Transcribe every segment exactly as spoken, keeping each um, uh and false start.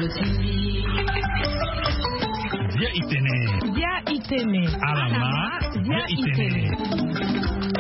Bia itene. Bia itene. Alama. Bia itene.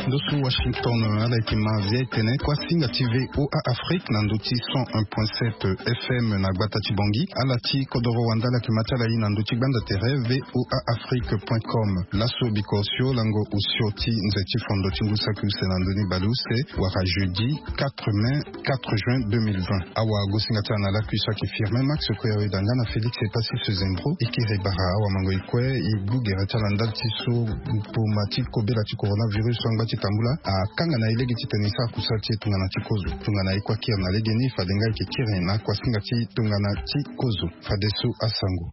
Ndo so Washington, ala yeke ma Bia itene, kuasinga ti V O A Afrique na ndö ti cent un point sept F M na gbata ti Bangui. Ala ti kodoro wande ala yeke ma ti ala ye na ndö ti gbanda tere V O A Afrique point com. Laso biko osio lango osio ti nze ti fondo ti ngu saki use na ndö ni baleuse wala jeudi quatre mai, quatre juin deux mille vingt. Awagosinga ti ala na lakui so ayeke Firmin Max Kouyaoué Danga na Félix Epassi Sezembro. E kiri bara awamango e kue e gbu gere ti ala ndali ti so mboma ti kobela ti coronavirus so angba ti tambula akanga na e lege titene e sara kusala ti e tongana ti kozo. Tongana e kue akiri na legeni fade nga e yeke kiri na kuasinga ti tongana ti kozo. Fadeso asango.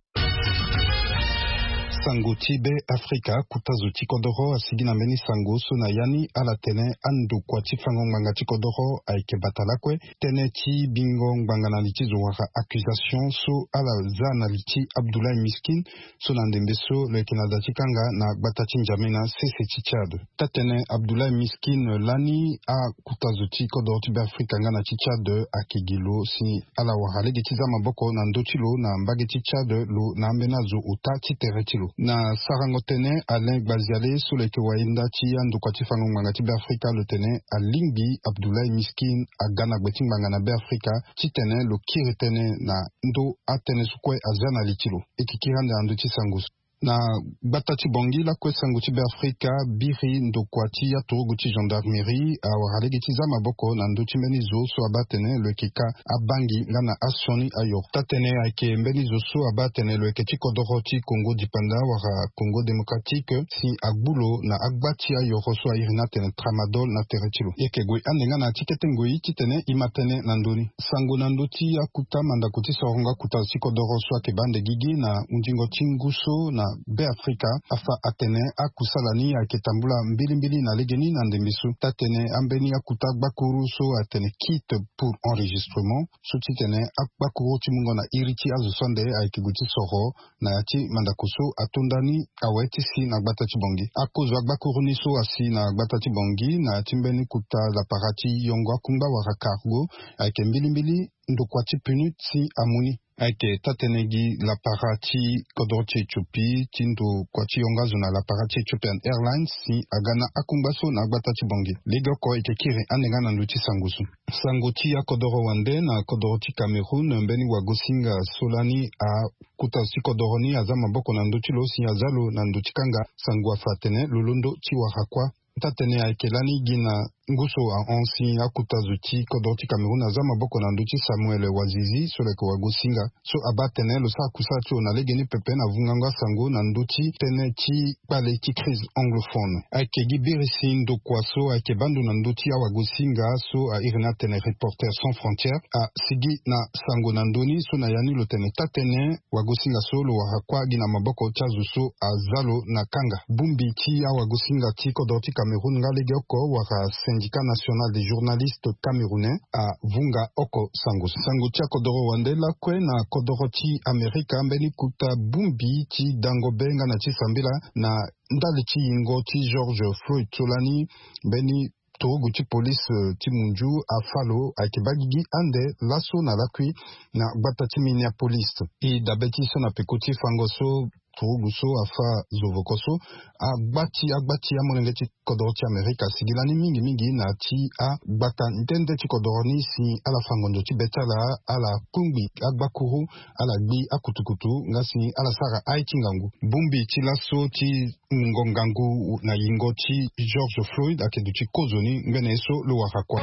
Sango ti Beafrika, kota zo ti kodoro asigi na mbeni sango so na ya ni ala tene andokua ti fango ngbanga ti kodoro ayeke bata lakue. Tënë ti bingo ngbanga na li ti zo wala accusation so ala za na li ti Abdoulaye Miskin, so na ndembe so lo yeke na da ti kanga na gbata ti N'Djamena sese ti Tchad. Taa-tene Abdoulaye Miskin lani akota zo ti kodoro ti Beafrika nga na ti Tchad ayeke gi lo si ala wara lege ti za maboko na ndö ti lo na mbage ti Tchad, lo na ambeni azo ota ti tere ti lo. Na sarango tënë, Alain Gbaziale so lo yeke wayenda ti andokua ti fango ngbanga ti Beafrika lo tene alingbi Abdoulaye Miskin aga na gbe ti ngbanga na Beafrika titene lo kiri tënë na ndö atënë so kue azia na li ti lo. E yeke kiri ande na ndö ti sango so. Na gbata ti Bangui lakue sango ti Beafrika biri ndokua ti aturugu ti gendarmerie awara lege ti za maboko na ndö ti mbeni zo so abaa atene lo yeke ka abangi nga na asioni ayoro. Taa-tene ayeke mbeni zo so abaa atene lo yeke ti kodoro ti Congo dipanda wala Congo démocratique si agbu lo na agba ti ayoro so a iri ni atene tramadol na tere ti lo. E yeke gue ande nga na ya ti kete ngoi titene e ma tënë na ndö ni. Sango na ndö ti akuta mandako ti sorongo akuta zo ti kodoro so ayeke baa ande gigi na hundingo ti ngu so na Beafrika afa atene akusala ni ayeke tambula mbilimbili na legeni na ndembe so. Taa-tene ambeni akuta gbakuru so atene kit pour enregistrement so titene agbakuru ti mungo na iri ti azo so ande ayeke gue ti soro na ya ti mandako so atonda ni awe ti si na gbata ti Bangui. Akozo agbakuru ni so asi na gbata ti Bangui na ya ti mbeni kota lapara ti yongo akungba wala cargo ayeke mbilimbili ndokua ti pneu si amu ni. Ayeke taa-tene gi lapara ti kodro ti Éthiopie ti ndokua ti yongo azo na lapara ti Ethiopian Airlines si aga na akungba so na agbata ti Bangui. Legeoko e yeke kiri ande nga na ndö ti sango so. Sango ti akodoro wande na kodoro ti Cameroun, mbeni wagosinga so lani akota zo ti kodoro ni aza maboko na ndö ti lo si aza lo na ndo ti kanga sango afa atene lo londo ti wara kuâ. Taa-tene ayeke lani gi na ngu so ahon si akota zo ti kodoro ti Cameroun aza maboko na ndö ti Samuel Wazizi so lo yeke wagosinga so abaa atene lo sara kusala ti lo na legeni pepe na vungango asango na ndö ti tënë ti kpale ti crise anglophone. Ayeke gi biri si ndokua so ayeke baa ndo na ndö ti awagosinga so a iri ni atene Reporters sans frontières asigi na sango na ndö ni so na ya ni lo tene taa-tene wagosinga so lo wara kuâ gi na maboko ti azo so aza lo na kanga. Bongbi ti awagosinga ti kodoro ti Cameroun nga legeoko wala Syndicat National des Journalistes Camerounais avunga oko sango. Sango ti akodoro wande lakue na kodoro ti Amerika, mbeni kota bongbi ti dango be nga na ti sambela na ndali ti yingo ti George Floyd so lani mbeni turugu ti police, eh, ti munzu afa lo ayeke baa gigi ande laso na lakui na gbata ti Minneapolis. E dabe ti so na peko ti fango so turugu so afa zovoko so agba ti agba ti amolenge ti kodoro ti Amerika asigi lani mingi mingi na ya ti agbata nde nde ti kodoro ni si ala fa ngonzo ti be ti ala, ala kungbi agbakuru, ala gbi akutukutu nga si ala sara aye ti ngangu. Bongbi ti laso ti mungo ngangu na yingo ti George Floyd ayeke duti kozoni ngbene ye so lo wara kuâ.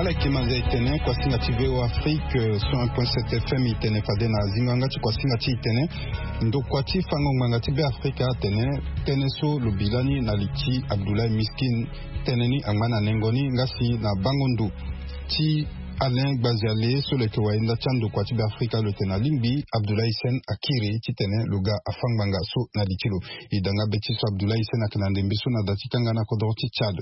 Ala yeke manza e tene kuasinga ti V O A Afrique, euh, cent un point sept F M e tene fade na zingo yanga ti kuasinga ti e tene ndokua ti fango ngbanga ti Beafrika atene tënë so lo bi lani na li ti Abdoulaye Miskin, tënë ni angba na nengo ni nga si na bango ndo ti Alain Gbaziale so lo yeke wayenda ti andokua ti Beafrika lo tene alingbi Abdoulaye Sen akiri titene lo ga afa ngbanga so na li ti lo. E danga be ti so Abdoulaye Sen ayeke na ndembe so na da ti kanga na kodro ti Tchad.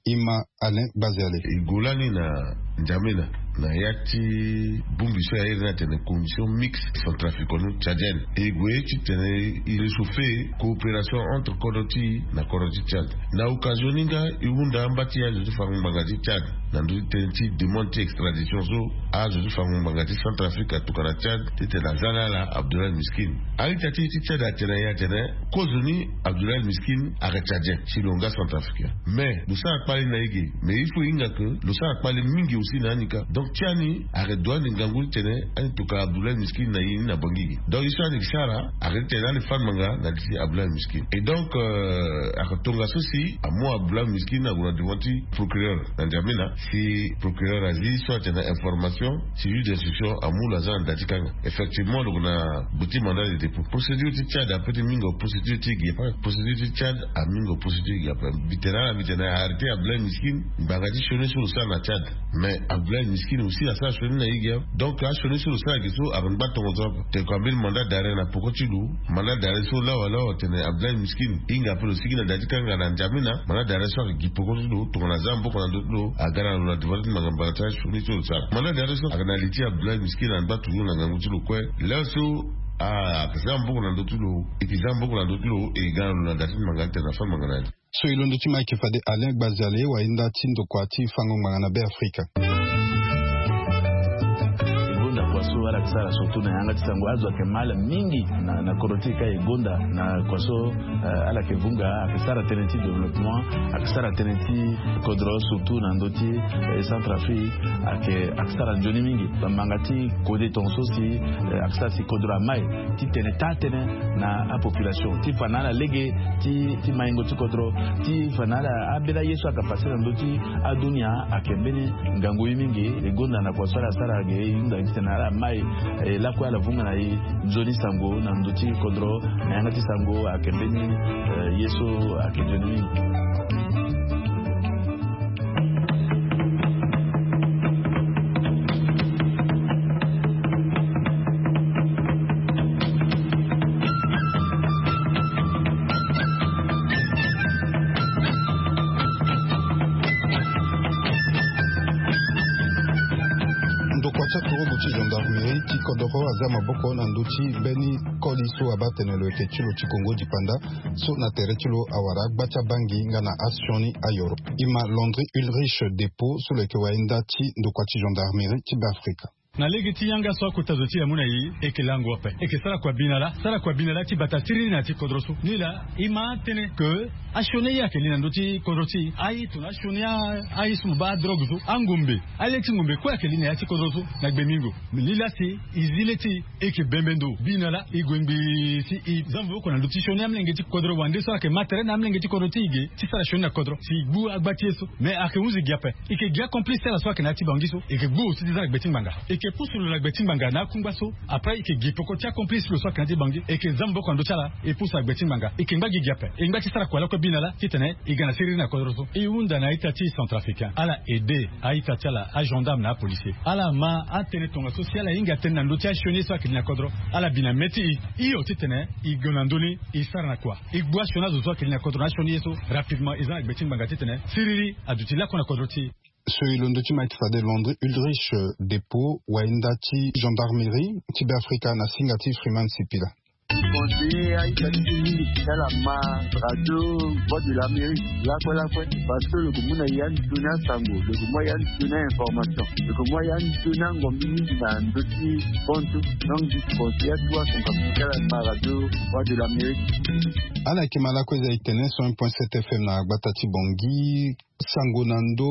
Ima Alain Gbaziale. E gue lani na N'Djamena na ya ti bongbi so aye ni atene commission mixte centrafricaine-tchadienne. E gue titene e réchauffer coopération entre kodro ti e na kodro ti Tchad. Na occasion ni nga e hunda amba ti azo ti fango ngbanga ti Tchad na ndö ti tënë ti demande ti extradition so azo ti fango ngbanga ti Centrafrique atokua na Tchad titene aza na ala Abdoulaye Miskine. A-ita ti e ti Tchad atene na e atene kozo ni Abdoulaye Miskine ayeke tchadien si lo nga centrafricain. Mais lo sara kpale na e ge, mais il faut e hinga ke lo sara kpale mingi aussi na ani kâ. Donc ti ani ayeke doit ande ngangu titene ani tokua Abdoulaye Miskine na e ni na Bangui ge. Donc e so ani yeke sara ayeke titene ani fâ ngbanga na li ti Abdoulaye Miskine. Et donc ayeke tongaso si amu Abdoulaye Miskine ague na devant ti procureur na N'Djamena, si procureur azi so atene na information si juge d'instruction amu lo aza na da ti kanga. Effectivement lo yeke na gbe ti mandat de dépôt. Procédure ti Tchad apeut ti mingo procédure ti ge ape. Procédure ti Tchad amingo procédure ti ge ape. Mbi tene ala mbi tene arrêter Abdoulaye Miskine ngbanga ti sioni so lo sara na Tchad. Mais Abdoulaye Miskine aussi asara sioni na e ge. Donc asioni so lo sara ge so ayeke ngba tongaso ape. Tene ko ambeni mandat d'arrêt na peko ti lo. Mandat d'arrêt so lawa lawa tene Abdoulaye Miskine e hinga ape lo sigi na da ti kanga na N'Djamena. Mandat d'arrêt so ayeke gi peko ti lo tongana aza maboko na ndö ti lo aga na lo na devant ti ngbanga mbala ti asioni so lo sara. Mandat d'arrêt so ayeke na li ti Abdoulaye Miskine angba toujours na ngangu ti lo kue. Laa so ayeke za maboko na ndö ti lo, e yeke za maboko na ndö ti lo, e ga na lo na da ti ngbanga titene afâ ngbanga na li. So e londo ti ma ayeke fade Alain Gbaziale wayenda ti ndokua ti fango ngbanga na Beafrika. E gonda kua so ala yeke sara surtout na yanga ti sango, azo ayeke ma ala mingi na kodro ti e kâ. E gonda na kua so ala yeke vunga, ayeke sara tënë ti développement, ayeke sara tënë ti kodro surtout na ndö ti Centrafrique. Ayeke ayeke sara nzoni mingi bambanga ti kode tongaso si ayeke sara si kodro amai titene taa tënë na apopulation ti fa na ala lege ti maingo ti kodro, ti fa na ala ambeni aye so ayeke pase na ndö ti adunia. Ayeke mbeni ngangu ye mingi. E gonda na kua so ala sara ge e hunda titene ala mai lakue ala vunga na e nzoni sango na ndö ti kodro. Na yanga ti sango ayeke mbeni ye so ayeke nzoni mingi. Ndokua ti aturugu ti gendarmerie ti kodoro aza maboko na ndö ti mbeni koli so abaa tene lo yeke ti lo ti Kongo dipanda so na tere ti lo awara agba ti abangi nga na asioni ayoro. Ima Landry Ulrich Depot so lo yeke wayenda ti ndokua ti gendarmerie ti Beafrika. Na lege ti yanga so akota zo ti e amu na e, e yeke lango ape, e yeke sara kua bi na lâ, sara kua bi na lâ ti bata siriri na ya ti kodro so. Nilaa e ma atënë ke asioni aye ayeke li na ndö ti kodro ti e. Aye tongana asioni aye so mo baa adrogue so, angombe, ale ti ngombe kue ayeke li na ya ti kodro so na gbemingo. Nilaa si e zi le ti e, e yeke bembe ndo bi na lâ, e gue ngbii si e za maboko na ndö ti sioni amolenge ti kodro wande so ayeke ma tere na amolenge ti kodro ti e ge ti sara sioni na kodro si e gbu agba ti e so. Mais ayeke hunzi gi ape. E yeke gi acomplice ti ala so ayeke na ya ti Bangui so, e yeke gbu aussi ti za na gbe ti ngbanga. E yeke pusu lo na gbe ti ngbanga na akungba so. Après e yeke gi peko ti acomplice ti lo so ayeke na ya ti Bangui, e yeke za maboko na ndö ti ala, e pusu na gbe ti ngbanga. E yeke ngba gi gi ape, e ngba ti sara kua lakue bi na lâ titene e ga na siriri na kodro so. E hunda na a-ita ti e centrafricain ala aide a-ita ti ala, agendarme na apolicier, ala ma atënë tongaso si ala hinga tënë na ndö ti asioni ye so ayeke li na kodro. Ala bi na mê ti e hio titene e gue na ndö ni e sara na kua. E gbu asioni azo so ayeke li na kodro na asioni ye so rapidement e za na gbe ti ngbanga titene siriri aduti lakue na kodro ti e. So e londo ti ma ayeke fade Landry Ulrich Depot, wayenda ti gendarmerie ti Beafrika na singa ti Freeman Sipila. Conseiller a-ita ti e mingi ti ala ma radio Voix de l'Amérique lakue lakue, parce que lo yeke mu na e ande sioni asango, lo yeke mu a-e ande sioni a-information, lo yeke mu a-e ande sioni angombi mingi na ndö ti kontu. Donc mbi conseiller atuwa centrafricain ti ala ma radio Voix de l'Amérique. Ala yeke ma lakue eza e tene cent un point sept F M na gbata ti Bangui. Sango na ndö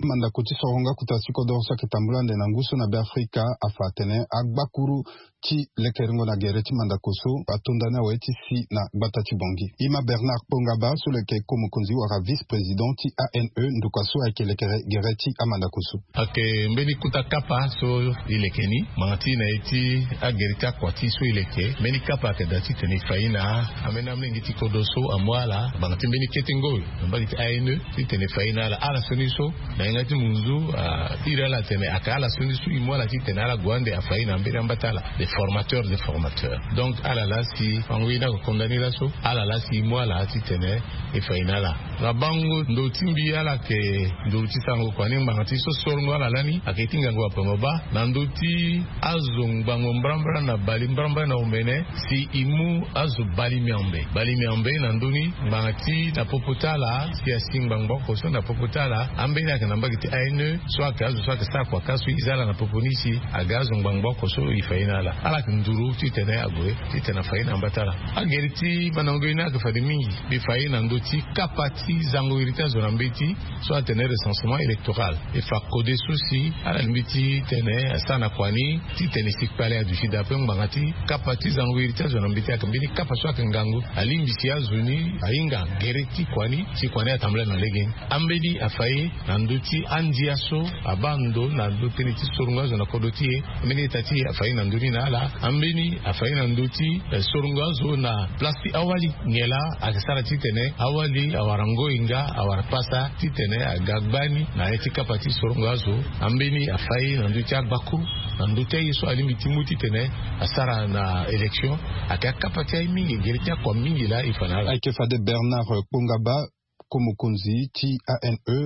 amandako ti soronga kota ti kodoro so ayeke tambula ande na ngu so na Beafrika afa atene agbakuru ti lekeringo na gere ti mandako so atonda ni awe ti si na gbata ti Bangui. Ima Bernard Kpongaba so lo yeke ko mokonzi wala vice-président ti A N E, ndokua so ayeke lekere gere ti amandako so. Ayeke mbeni kota kapa so e leke ni ngbanga ti na ye ti agere ti akua ti so e leke mbeni kapa ayeke daa titene e fa ye na ambeni amolenge ti kodro so amu ala ngbanga ti mbeni kete ngoi na mbage ti A N E titene Fai na ala ala so ni so, na yanga ti munzu, a iri ala atene aka ala so ni so e mu ala titene ala gue ande afai na mbeni ambata ala. Des formateurs, des formateurs. Donc ala la si fango ye ni ako konda ni laso, ala la si e mu ala titene e fai na ala. Na bango ndo ti mbi ala yeke ndo ti sango kua ni ngbanga ti so sorongo ala lani ayeke ti ngangu apengo baa na ndö ti azo ngbangbo mbrambra na bali mbrambra na omene. Si e mu azo bali miambe, bali miambe na ndö ni ngbanga ti na popo ti ala si asi ngbangbo oko so na popo ti ala. Ambeni ayeke na mbage ti A N E so ayeke azo so ayeke sara kua ka so e za ala na popo ni si aga azo ngbangbo oko so e fai na ala. Ala yeke nduru titene ague titene afai na mbata ala. Agere ti mandango ye ni ayeke fade mingi. Mbi fai na ndö ti kapa ti zango iri ti azo na mbeti so atene recensement électoral. E fa kode so si ala lingbi ti tene asara na kua ni titene si kpale aduti daa ape ngbanga ti kapa ti zango iri ti azo na mbeti ayeke mbeni kapa so ayeke ngangu. Alingbi si azo ni ahinga gere ti kua ni si kua ni atambula na lege ni. Ambeni afai na ndö ti andia so abaa ndo na ndö tënë ti sorongo azo na kodro ti e. Ambeni eta ti e afai na ndö ni na ala. Ambeni afai na ndö ti, eh, sorongo azo na place ti awali. Nyen laa ayeke sara titene awali awara ngoi nga awara pasa titene aga gbani na ya ti kapa ti sorongo azo. Ambeni afai na ndö ti agbakuru na ndö ti aye so alingbi ti mu titene asara na élection. Ayeke akapa ti aye mingi gere ti akua mingi laa e fa na ala. Ayeke fade Bernard Kpongaba, ko mokonzi ti A N E.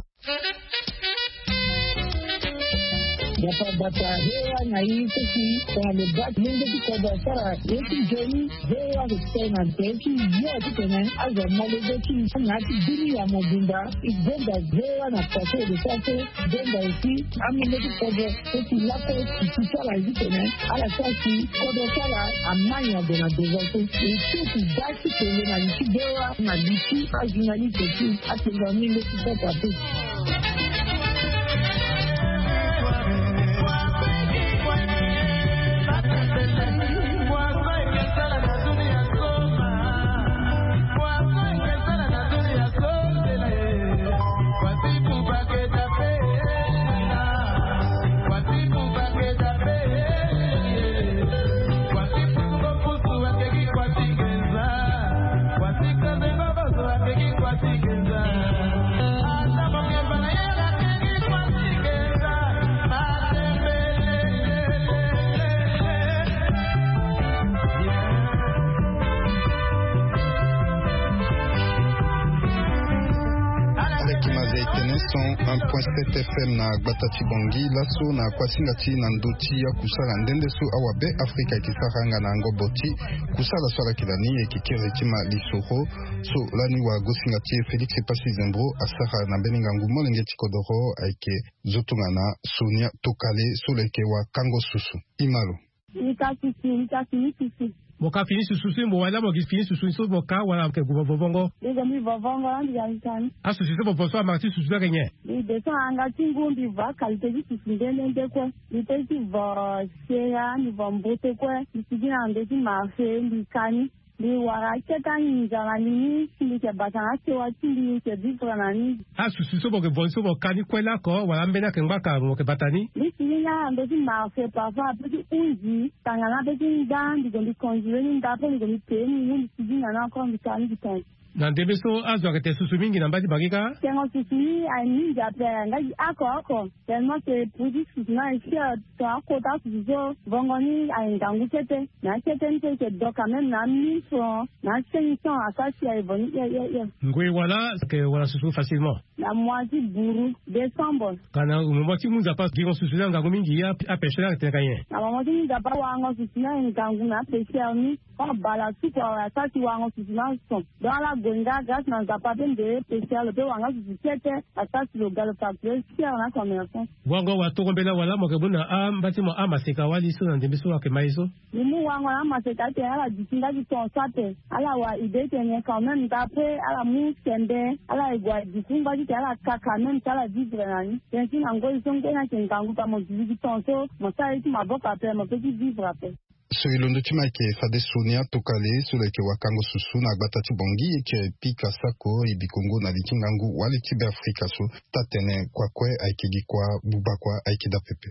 Bata bata V O A na e so si tongana lo baa ti lenge ti kodro asara ye ti nzoni. V O A ayeke tene na tere ti yo titene azo amolenge ti na ya ti dunia mobimba. E gonda V O A na kua so e lo sara so. Gonda aussi amolenge ti kodro so si lakue ti ti sara ye titene ala sara si kodro ti ala ama nyen ague na devant so. E so si baa ti tene na li ti V O A na li ti ajournaliste aussi. Atenga mingi ti sara te. Aleki maza etene cent un point sept F M na gbata ti Bangui. Laso na kuasinga ti na ndö ti akusala nde nde so awabe Afrika eke sara nga na ngobo ti kusala so ala yeke lani eke kiri ti ma lisoro. So lani wagosinga ti e Félix Passy Zembro asara na mbeni ngangu molenge ti kodoro ayeke zo tongana Sonia Tokale so lo yeke wakango susu. Imalo. Mbi ka susu, mbi ka fini susu. Mo ka fini susu si mo wali laa mo gi fini susu so mo ka wala mo yeke gue mo vovongo? Mbi gue mbi vovongo laa mbi ga mbi ka ni. Asusu so mo vo so amara ti susu so ayeke nyen? Mbi de so na yanga ti ngu mbi vo akalité ti susu nde nde nde kue. Mbi pe ti vo sera, mbi vo mbote kue. Mbi sigi na ndo ti marché mbi ka ni. Mbi wara akete anginza na li ni si mbi yeke bata na asewa ti mbi, mbi yeke vivre na ni. Asusu so mo yeke vo ni so mo ka ni kue lako wala ambeni ayeke ngbaka mo yeke bata ni? Mbi si ni nga na ndo ti marché parfois ape ti hunzi tanga na ape ti nda mbi gue mbi conduire ni nda ape mbi gue mbi pee ni ngu mbi sigi na ni encore mbi ka ni mbi tonga. Na ndembe so azo ayeke tene susu mingi na mba ti Bangui kâ? Tengo susu ni aye mingi ape nga gi oko oko. Tellement que produit ti susu ni aye cher. Tongana akota susu so vongo ni aye ngangu kete. Na akete ni so e yeke do quand même na mille francs na cinq cents asara si aye vo ni hie hie hie. Ngoi wala ayeke wara susu facilement? Na mois ti buru décembre. Ka na moment ti mu nzapa gingo susu ni angangu mingi, apêcheur ni ayeke tene ka nyen? Na moment ti mu nzapa warango susu ni aye ngangu na apêcheur ni. Koma bala suku awe asara si warango susu ni ason. Donc ala gue nga grâce na nzapa ape nde pêcheur lo pe wara nga susu kete. Asara si lo ga lo facture cher na commerçant. Wango wa tongo mbela wala mo yeke mu na amba ti mo amaseka wali so na ndembe so ayeke ma ye so? Mbi mu wango na amaseka atene ala duti nga ti ton so ape. Ala wara idée tene quand même nda ape ala mu sembe ala ye gue aduti ngba ti tene ala ka quand même si ala vivre na ni. Tene ti na ngoi so ngoi ni ayeke ngangu ka mo duti ti ton so mo sara ye ti maboko ape mo pe ti vivre ape. So e londo ti ma ayeke fade Sonia Tokale so lo yeke wakango susu na gbata ti Bangui e kiri pika sako e bikongo na li ti ngangu wali ti Beafrika so. Taa-tene kua kue ayeke gi kua, buba kua ayeke daa pepe.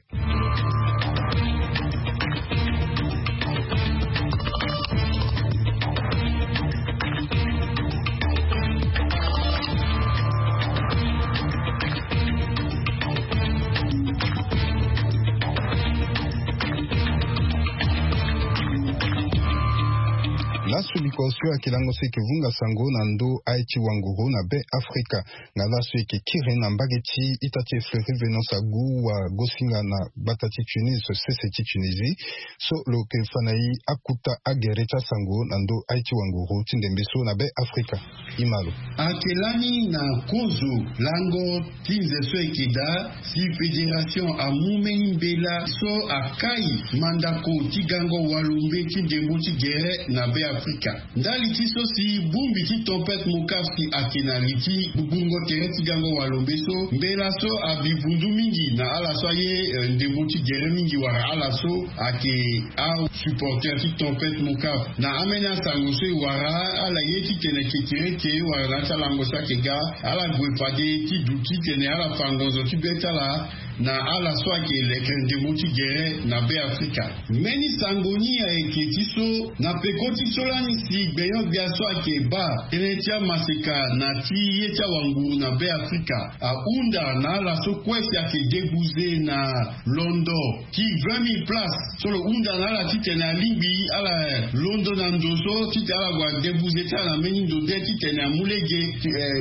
Kosio ayeke lango so eke vunga sango na ndö aye ti wanguru na be afrika. Nga laso eke kiri na mbage ti ita ti efleuri venance agu wa gosinga na gbata ti tunisie sese ti tunisie, so lo yeke fa na e akuta agere ti asango na ndö aye ti wanguru ti ndembe so na be afrika. Imalo. Ake lani na kozo lango ti nze so eke daa si fédération amu mbeni mbela so akai mandako ti gango walombe ti ndembo ti gere na be afrika. Ndali ti so si bongbi ti tempête mokaf si ake na li ti gbugbungo tere ti gango walombe so mbela so abi vundu mingi na ala so aye ndembo ti gere mingi wala ala so ake asupporter ti tempête mokaf na ambeni asango so e wara ala ye titene kekereke wala na ya ti alango so ake ga ala gue fade ti duti titene ala fa ngonzo ti be ti ala na ala so ayeke lekere ndembo ti gere na be afrika. Mbeni sango ni ayeke ti so na peko ti so lani si gbenyo-gbia so ayeke baa tënë ti amaseka na ti ye ti awanguru na be afrika ahunda na ala so kue si ayeke debuze na londo ti vingt mille place so lo hunda na ala titene alingbi ala londo na ndo so titene ala gue adebuze ti ala na mbeni ndo de titene amu lege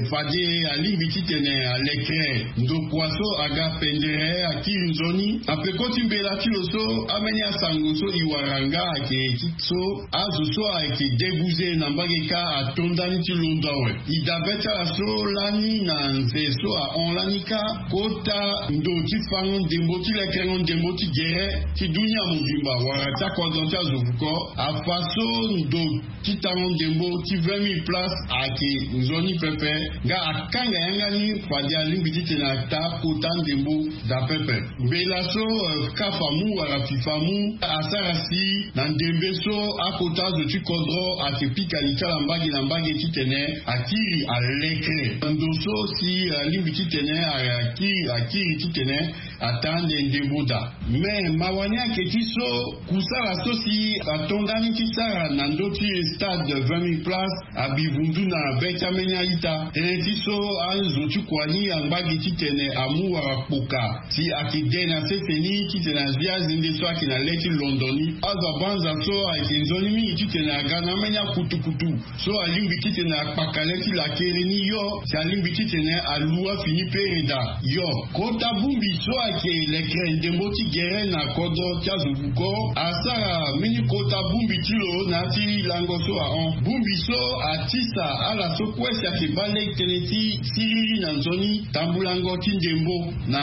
fade alingbi titene alekere ndokua so aga pendere akiri nzoni na peko ti mbela ti lo so ambeni asango so e wara nga ayeke ti so azo so ayeke debuze na mbage kâ ato ndani ti londo awe. E dabe ti ala so lani na nze so ahon lani kâ kota ndo ti fango ndembo ti lekerengo ndembo ti gere ti dunia mobimba wala ti akodro ti azo vuko afa so ndo ti tango ndembo ti vingt mille place ayeke nzoni pepe nga akanga yanga ni fade alingbi titene ata kota ndembo daa pepe. Mbela so kafa mu wala fifa mu asara si na ndembe so akota azo ti kodro ayeke pika li ti ala mbage na mbage titene akiri alekere ndo so si alingbi titene akiri akiri titene ata ande ndembo daa. Me mawa ni ayeke ti so kusala so si ato ndani ti sara na ndö ti stade vingt mille place abi vundu na be ti ambeni a-ita tënë ti so azo ti kua ni angba gi titene amu wala kpoka si ayeke de na sese ni titene azi azende so ayeke na le ti londo ni. Azo abanza so ayeke nzoni mingi titene aga na ambeni akutukutu so alingbi titene akpaka le ti lakere ni yo si alingbi titene alu afini pere daa yo. Kota bongbi so ayeke lekere ndembo ti gere na kodro ti azo buko asara mbeni kota bongbi ti lo na ya ti lango so ahon. Bongbi so atisa ala so kue si ayeke baa lege tënë ti siriri na nzoni tambulango ti ndembo na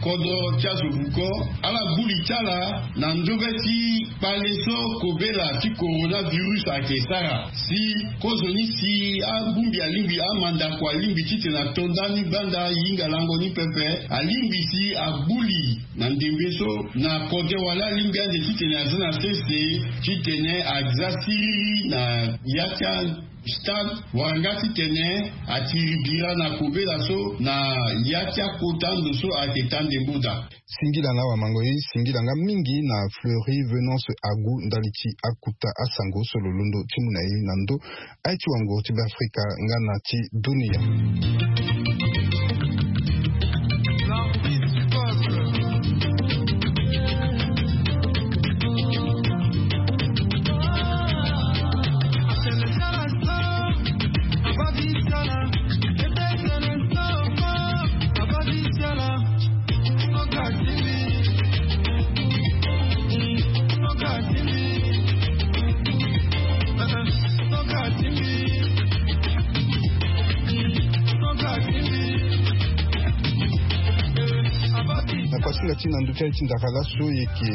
kodro ti azo buko ala gbu li ti ala na ndobe ti kpale so kobela ti coronavirus ayeke sara si kozoni si abongbi alingbi amandako alingbi titene ato ndani gbanda hinga lango ni pepe alingbi si agbu li na ndembe so na kode wala alingbi ande titene aza na sese titene aza siriri na ya ti a stade wala nga titene atiri bira na kobela so na ya ti akota ndo so ayeke ta ndembo daa. Singila na awamango ye singila nga mingi na fleuri venance agu ndali ti akuta asango so lo londo ti mu na ye na ndö aye ti wango ti be afrika nga na ti dunia. Na kuasinga ti na ndö ti aye ti ndakala so e yeke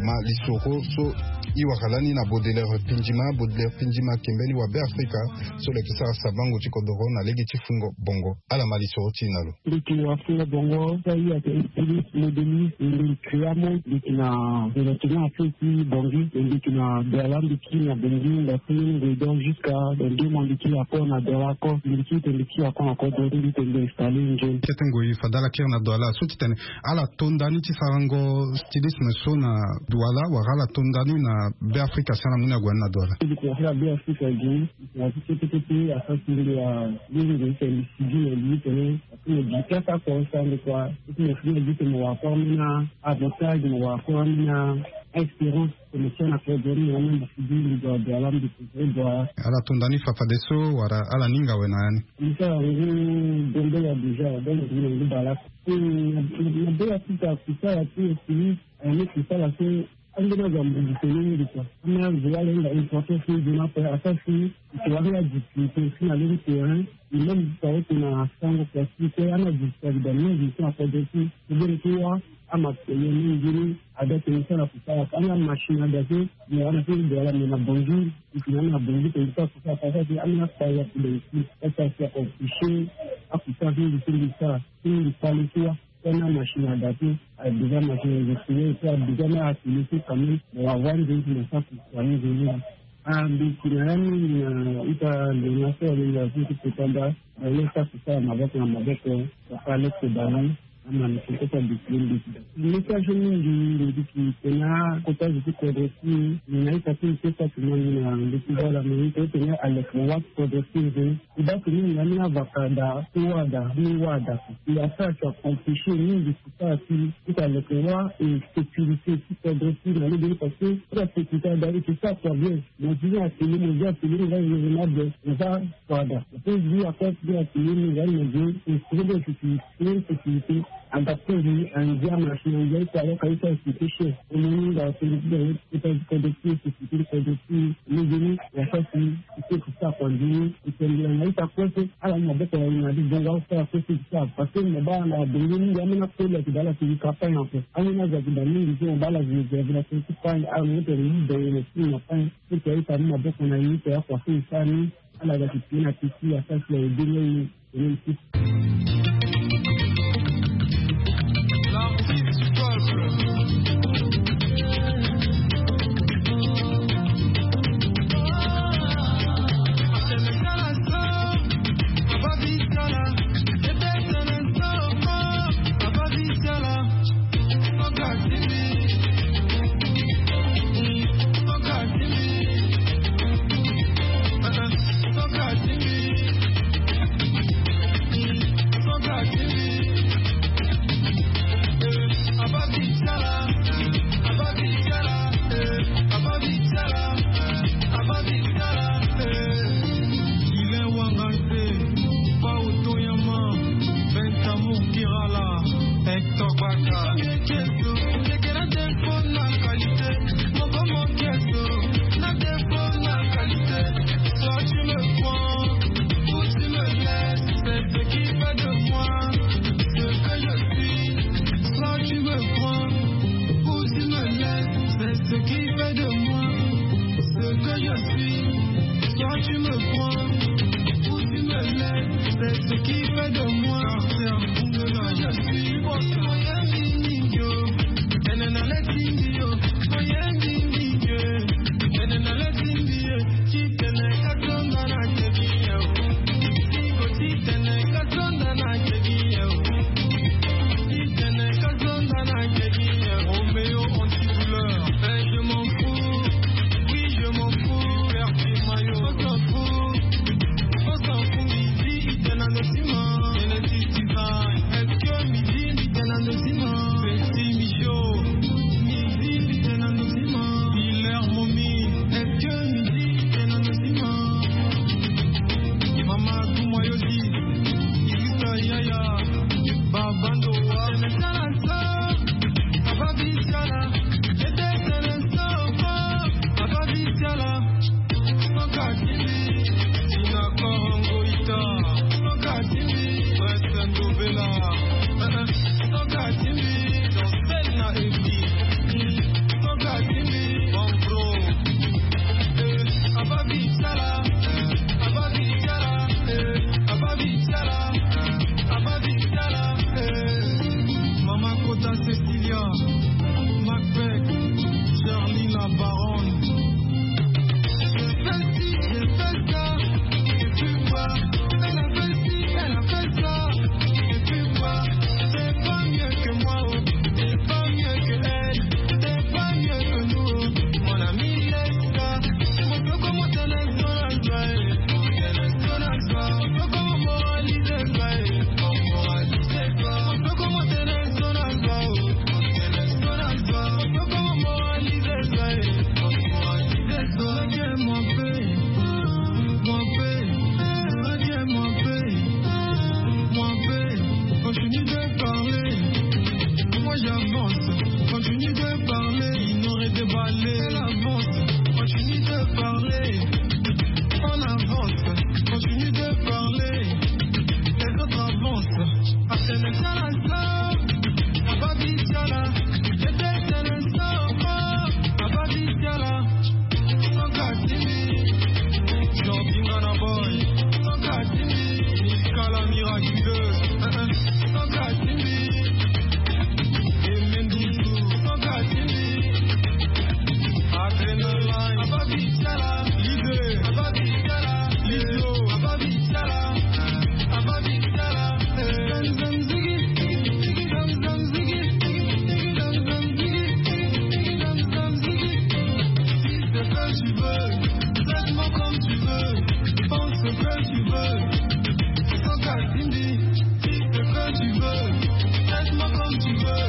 ma lisoro so e wara lani na bodeler pindima bodeler pindima ayeke mbeni wa be afrika so lo yeke sara sabango ti kodoro na lege ti fungo bongo. Ala ma lisoro ti e na lo. Mbi yeke wafungo bongo so aye ayeke estilis modeli. Mbi yeke kria mo mbi yeke na relativement affaire ti bongi. Mbi yeke na bela mbi ti na bongi nda ti mbeni ngoi donc jusqu'à dans deux mois mbi ti ya kor na dola kor mbi ti tene mbi ti ya kor na kodro ti mbi tene mbi installe nzoni. Kete ngoi fade ala kiri na dola so ti tene ala to ndani ti sarango stylisme so na dola wala ala to ndani na Be afrika si ala mu ni ague ni na do ala. Be afrika gi na ti kete kete asasi nde a liri nde ti tene sigi na li ti tene. Ti mo gi kasa kua osango kua ti mo fini gi ti mo wa kua ambeni avantage mo wa kua ambeni a espérance. Ti mo tia na kua gori na ambeni sigi mbi dua dua la mbi kuzere dua. Ala tonda ni fafadeso wala ala ninga awe na ya ni? Mbi sara ngu. Bombe ya deja donc mbi na ngu bala. Na be ya ti ta kusala ti espérance. Aya ni kusala so. Ambeni azo ambeni ti tene mingi kua. Ambeni azo ala hinga importance mingi na kue asasi. Ike wani adifficulté si na lege terrain. Imam ti ta ote na sango kua si kue ana difficulté da mingi si na kodro si. Kobeni ti wa ama pele mingi ni. Ada tene so ala kusala ana machine ada so. Me ana so de ala me na bongi. Ike na ana bongi tene so akusala asasi ana kpa ya kule isi. Asasi akofiche. Akusala so mingi so mingi sara so mingi kpale ti wa. Tena machine adapté. Adéja machine adapté. Adéja na atelier ti quand même. Mo wa wani nzoni ti mo saki wani nzoni. Ah mbi ti na ya mingi na ita ndona so alinga so ti kota nda. Aye saki sara maboko na maboko. Papa leke bani. Ama ni ti kota bisili mbi ti da message mingi. Mbi ti tena kota zo ti kodro ti. Ni na ita ti mbi ti saki na mbi na mbi ti voilà mais ni tena aleke wa ti kodro ti nzoni. Ti baa ti ni na ni avaka da ti wâ da ni wâ da. Ti asara ti akomplisé mingi ti sara ti ti ta leke wâ. Sécurité ti kodro ti na lege ni parce que ti asécurité ada ti sara kua bien. Mo ti ni atelier mo vi atelier mo va raisonnable mo va kua da. Ti vi akua ti atelier mo va mo vi instrument sécurité. Sécurité adapté ngi andia machine andia ita aloka ita sécurité cher. Omoni nga sécurité. Ita sécurité sécurité sécurité. Lege ni ya sasi. Ite ti sara kua nzoni. Ite ngbila na ita kue so ala ni maboko na na di bongo asara kue so ti sara parce que mo baa na bongo mingi ambeni akoli ayeke daa ala ti gi campagne ape. Ambeni azo ayeke daa mingi so mo baa ala réserve na tene ti campagne ala mo tene ni bongo na ti na campagne. So ti aita ni maboko na ye ite akua so e sara ni. Ala ga ti pie na ti ti asara ti aye be ni aye. Miraculeuse, Sanka Timbi. Emendoutou, Sanka Timbi. Adrenaline, Ababi Tiala. L'idée, Ababi Tiala. L'idio, Ababi Tiala. Ababi Tiala. Zam, zam, zigi, zam, zam, zigi, zam, zam, zigi, zam, zam, zigi. Si c'est vrai, tu veux, traite-moi comme tu veux, pense ce que tu veux. Sanka Timbi, dis ce que tu veux, traite-moi comme tu veux,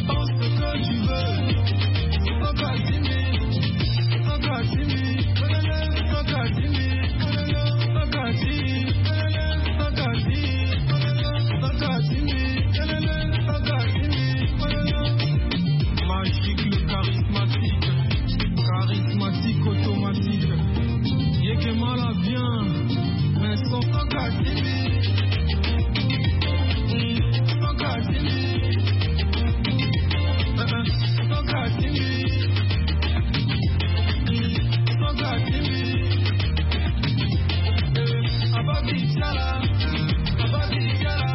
pense ce que tu veux. Sanka Timbi, Sanka Timbi, Sanka Timbi, Sanka Timbi, Sanka Timbi, Sanka Timbi, Sanka Timbi. Magique, le charismatique, charismatique automatique. Yekemala vient, mais son Sanka Timbi. Sanka Timbi. Sanka Timbi. Sanka Timbi. Ababi Tiala. Ababi Tiala.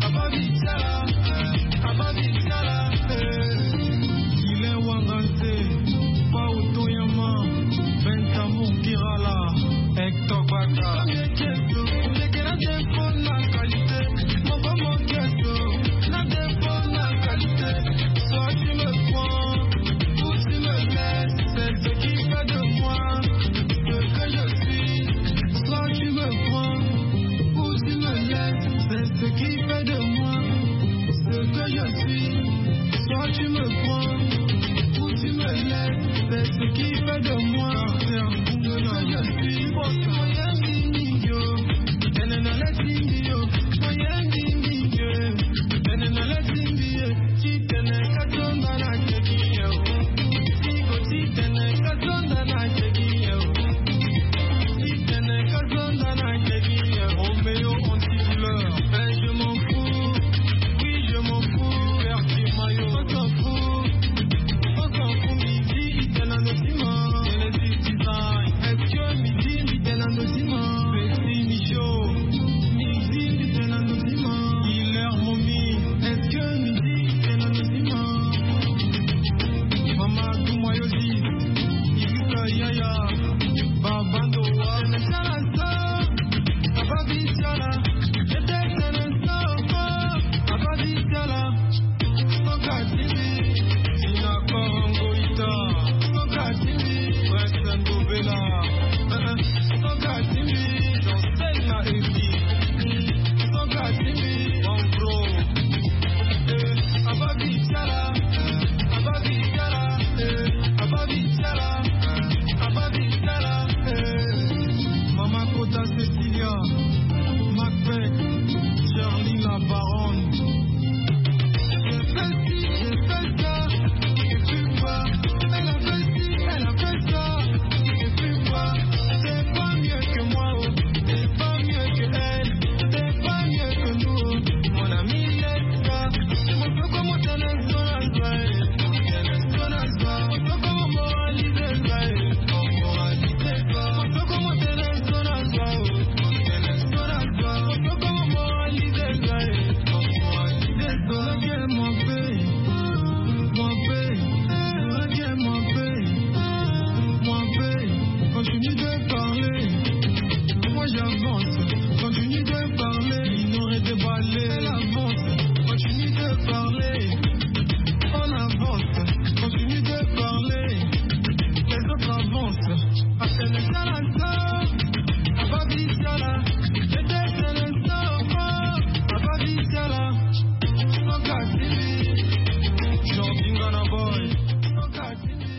Ababi Tiala. Ababi Tiala. Guilain Wangante, Pao Toyama, Bentamour Kirala, Hector Baka. Soit tu me prends ou tu me laisses, c'est ce qui fait de moi ce que je suis. Soit tu me prends ou tu me laisses, c'est ce qui fait de moi ce que je suis. Soit tu me prends ou tu me laisses, c'est ce qui fait de moi ce que je suis. Roméo anti-douleur. Ben, je m'en fous. Oui, je m'en fous. Hervé Mayo, on s'en fout. On s'en fout, Midi, Itenandotima. Genesis Design. Est-ce que Midi, Itenandotima? Petit Michaud. Midi, Itenandotima. Hilaire Momi. Est-ce que Midi, Itenandotima? Mama Dumayosi. Irisa Yaya. Babando wa. Ababi Tiala. Sanka Timbi, Tina Korongo Ita, Sanka Timbi, Prince Ndobela, Sanka Timbi, Jean-Sel na Evi, Sanka Timbi, Bangro, eh, Ababi Tiala, Ababi Tiala, eh, Ababi Tiala, Ababi Tiala, eh. Mama Kota Cecilia, Macbeth, Charlie la baronne. J'ai fait ci, j'ai fait ça, et puis quoi? Elle a fait ci, elle a fait ça, et puis quoi? T'es pas mieux que moi, oh, t'es pas mieux que elle, t'es pas mieux que nous, oh. Mon ami, laisse ça. Mon peu comme on t'en a besoin, on t'en a besoin, on peut comme on moralise, on moralise. Continue de parler. Moi j'avance. Continue de parler. Ignorer, déballer. Elle avance. Continue de parler. On avance. Continue de parler. Les autres avancent. Ababi Tiala, Ababi Tiala, Ababi Tiala, Sanka Timbi, Jordi Ngana Boy, Sanka Timbi.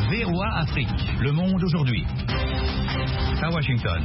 V O A Afrique, le monde aujourd'hui. À Washington.